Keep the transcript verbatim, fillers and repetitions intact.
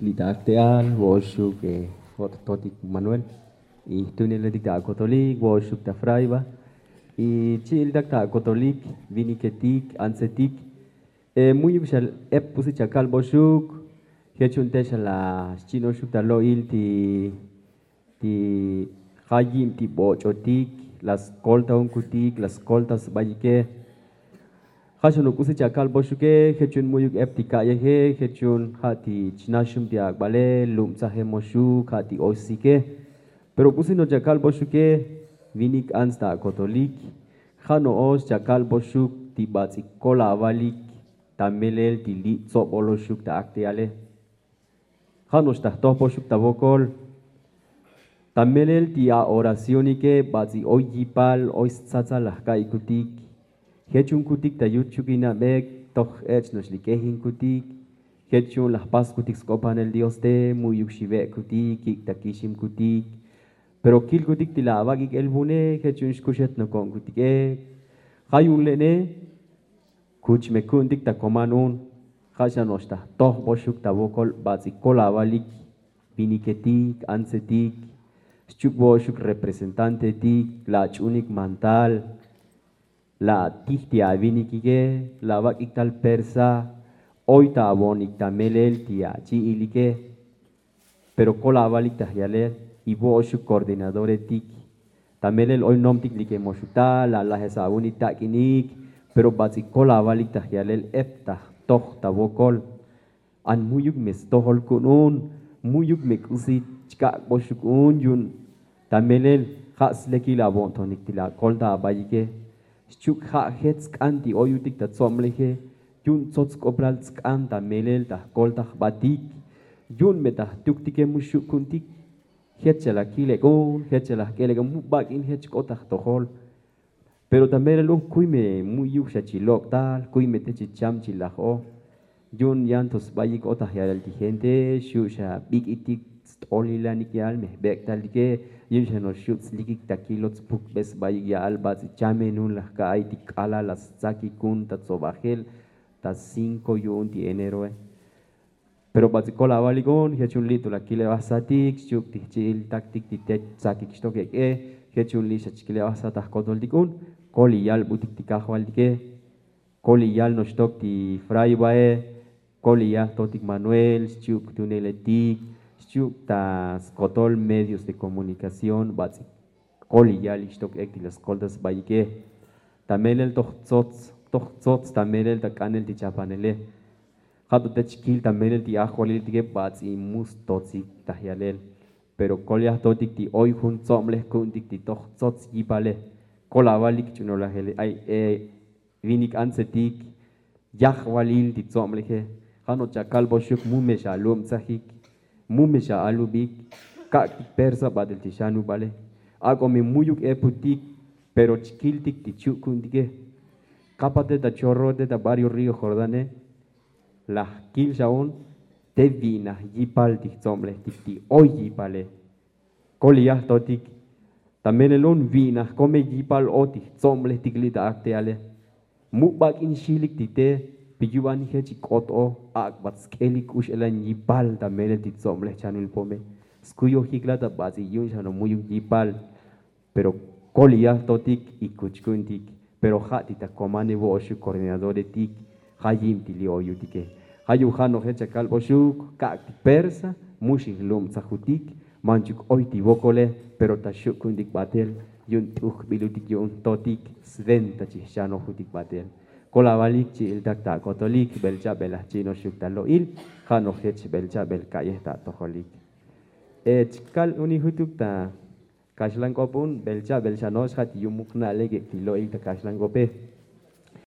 Li' ta akte'al vo'oxuk, jo'totik manuel, y jtuneletik ta akotolik vo'oxuk ta fraiba, y chi'iltak ta akotolik, viniketik, antsetik. Mu'yuk xa ep k'usi chakalboxuk. Jech yu'un te xa la xchi'noxuk ta lo'il ti ti ja' yib ti boch'otik, la skolta junkutik, la skolta sbayike. Ja' xanuk k'usi chakalboxuke. Jech yu'un mu'yuk ep ti ka'yeje. Jech yu'un ja' ti chnaxum ti ak'bale, lubtsajemoxuk ja' ti oxsike. Pero k'usi no chakalboxuke. Vinik ants ta akotolik. Ja' no'ox chakalboxuk ti bats'ik kol avalik ta melel ti li' tsoboloxuk ta akte'ale. Ja' no'ox ta jtojboxuk ta vokol. Ta melel ti aoracionike, bats'ik oy yipal oy stsatsal la jka'ikutik. Jech junkutik ta yuchuk inabek toj ech' no'ox li' k'ejinkutik. Jech yu'un la jpaskutik sk'opanel dios te mu'yuk xive'kutik kik' ta kiximkutik. Pero kilkutik ti la avak'ik el vune. Jech yu'un xkuxetnoko'nkutik ek. Ja' yu'un le'ne. Kuch me ku'untik ta koman un. Ja' xa no'ox ta jtojboxuk ta vokol bats'ik kol avalik, viniketik, antsetik, xchuk vo'oxuk representantetik, la ach'unik mantal, la atij ti avinikike, la avak'ik tal persa. Oy ta avo'onik ta melel ti achi'ilike. Pero kol avalik ta jyalel, y vo'oxuk koordinadoretik. Ta melel oy nomtik likemoxuk ta la alajes avuni tak'inik. Pero bats'ik kol avalik ta jyalel ep ta jtoj ta vokol. An mu'yuk me stojol ku'un un. Mu'yuk me k'usi chkak'boxuk un yu'un ta melel ja' slekil avo'ntonik ti la akolta abayike. Xchuk ja' jech tsk'an ti oyutik ta tsobleje. Yu'un tsots sk'oplal tsk'an ta melel ta jkolta jbatik. Yu'un me ta jtuktike mu xu' ku'untik. Jech xa la kil ek'un, jech xa la jk'el ek'un mu bak'in jech k'ot ta jtojol. Pero ta melel un kuy me mu'yuk xa chi lok' tal, kuy me te chi cham chi laj o. Yu'un yan to sbayik o ta jyalel ti gente xu' xa bik'itik st'olilanik ya'al me jbek' taltike. Yu'un xa no'ox xu' tslikik ta kilot spukbe sbayik ya'al bats'ik chamen un la jka'ay ti k'alal la stsakik un ta tsobajel ta cinko yu'un ti eneroe. Pero bats'ik kol avalik un. Jech yu'un li' to la kil evajsatik xchuk ti jchi'iltaktik ti te tsakik xtok ek'e. Jech yu'un li' xa chkil evajsat ta jkotoltik un. Kol iyalbutik ti kajvaltike. Kol iyal noxtok ti fraibae. Kol iyal jtotik manuel xchuk jtuneletik xchuk ta skotol medios de komunikación bats'ik. Kol iyalik xtok ek ti la skolta sbayike. Ta melel toj tsots toj tsots ta melel ta k'anel ti chapanele. Ja' to te chkil ta melel ti ajvaliltike bats'ik mu stotsik ta jyalel. Pero kol yajtotik ti oy jun tsoblej ku'untik ti toj tsots yipale. Kol avalik ch'unolajele ay e vinik antsetik. Yajvalil ti tsobleje. Ja' no' chakalboxuk mu me xa alubtsajik. Mu me xa alubik. Kak'tik persa batel ti xanubale. Ak'o me mu'yuk eputik. Pero chkiltik ti chu' ku'untike. Kapate ta chorro te ta barrio río jordane. La jkil xa un te vi'naj yipal ti jtsoblejtik ti oy yipale. Kol iyajtotik. Ta melel un vi'naj kome yipal o ti jtsoblejtik li' ta akte'ale. Mu bak'in xilik ti te. Pi yu'van jech ik'ot o ak'bat sk'elik k'ux elan yipal ta melel ti tsoblej chanul pome. Skuyojik la ta bats'ik yu'un xa no' mu'yuk yipal. Pero kol iyajtotik y kuch ku'untik. Pero ja' ti ta komane vo'oxuk koordinadoretik. Ja' yib ti li' oyutike. Ja' yu'un ja' no' jech chakalboxuk kak'tik persa. Mu xijlubtsajutik. Manchuk oy ti vokole. Pero ta xu' ku'untik batel. Yu'un t'ujbilutik yu'un jtotik. Sventa chijxanojutik batel. Kol avalik chi'iltak ta akotolik bel cha'bel ajchi'noxuk ta lo'il. Ja' no' jech bel cha'bel ka'yej ta atojolik. Chkal uni jutuk ta kaxlan k'op un bel cha'bel xa no'ox ja' ti yu'un muk na'lek ek' ti lo'il ta kaxlan k'ope.